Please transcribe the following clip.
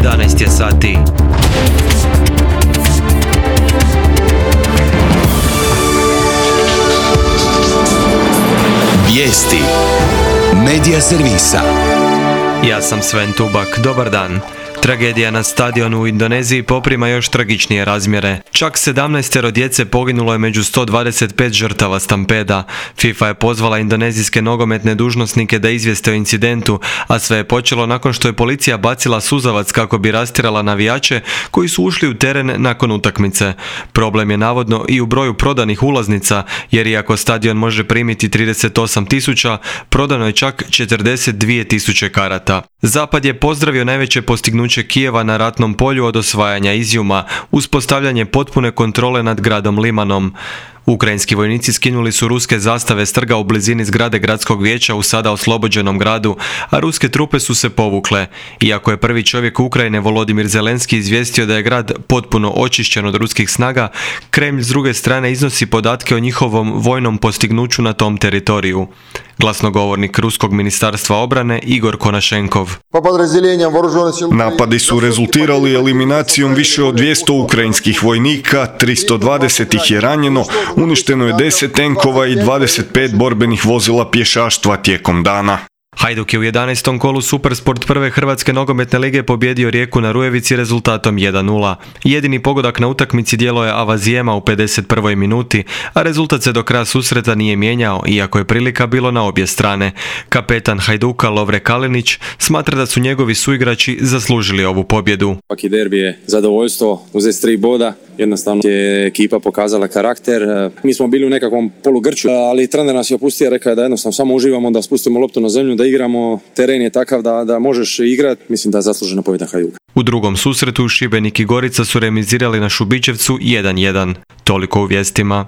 11 je sati. Vijesti Medija servisa. Ja sam Sven Tubak, dobar dan. Tragedija na stadionu u Indoneziji poprima još tragičnije razmjere. Čak 17 djece poginulo je među 125 žrtava stampeda. FIFA je pozvala indonezijske nogometne dužnosnike da izvijeste o incidentu, a sve je počelo nakon što je policija bacila suzavac kako bi rastjerala navijače koji su ušli u teren nakon utakmice. Problem je navodno i u broju prodanih ulaznica, jer iako stadion može primiti 38.000, prodano je čak 42.000 karata. Zapad je pozdravio najveće postignuće Kijeva na ratnom polju od osvajanja Izjuma, uspostavljanje potpune kontrole nad gradom Limanom. Ukrajinski vojnici skinuli su ruske zastave s trga u blizini zgrade gradskog vijeća u sada oslobođenom gradu, a ruske trupe su se povukle. Iako je prvi čovjek Ukrajine Volodimir Zelenski izvijestio da je grad potpuno očišćen od ruskih snaga, Kremlj s druge strane iznosi podatke o njihovom vojnom postignuću na tom teritoriju. Glasnogovornik Ruskog ministarstva obrane Igor Konašenkov. Napadi su rezultirali eliminacijom više od 200 ukrajinskih vojnika, 320 ih je ranjeno, uništeno je 10 tenkova i 25 borbenih vozila pješaštva tijekom dana. Hajduk je u 11. kolu Supersport prve Hrvatske nogometne lige pobjedio Rijeku na Rujevici rezultatom 1:0. Jedini pogodak na utakmici djelo je Avazijema u 51. minuti, a rezultat se do kraja susreta nije mijenjao, iako je prilika bilo na obje strane. Kapetan Hajduka Lovre Kalinić smatra da su njegovi suigrači zaslužili ovu pobjedu. Svaki derbi je zadovoljstvo, uzeti 3 boda, jednostavno je ekipa pokazala karakter. Mi smo bili u nekakvom polugrču, ali trener nas je opustio, rekao je da jednostavno samo uživamo, da spustimo loptu na zemlju, da igramo, teren je takav da možeš igrati, mislim da je zaslužena pobjeda Hajduka. U drugom susretu Šibenik i Gorica su remizirali na Šubićevcu 1:1. Toliko u vijestima.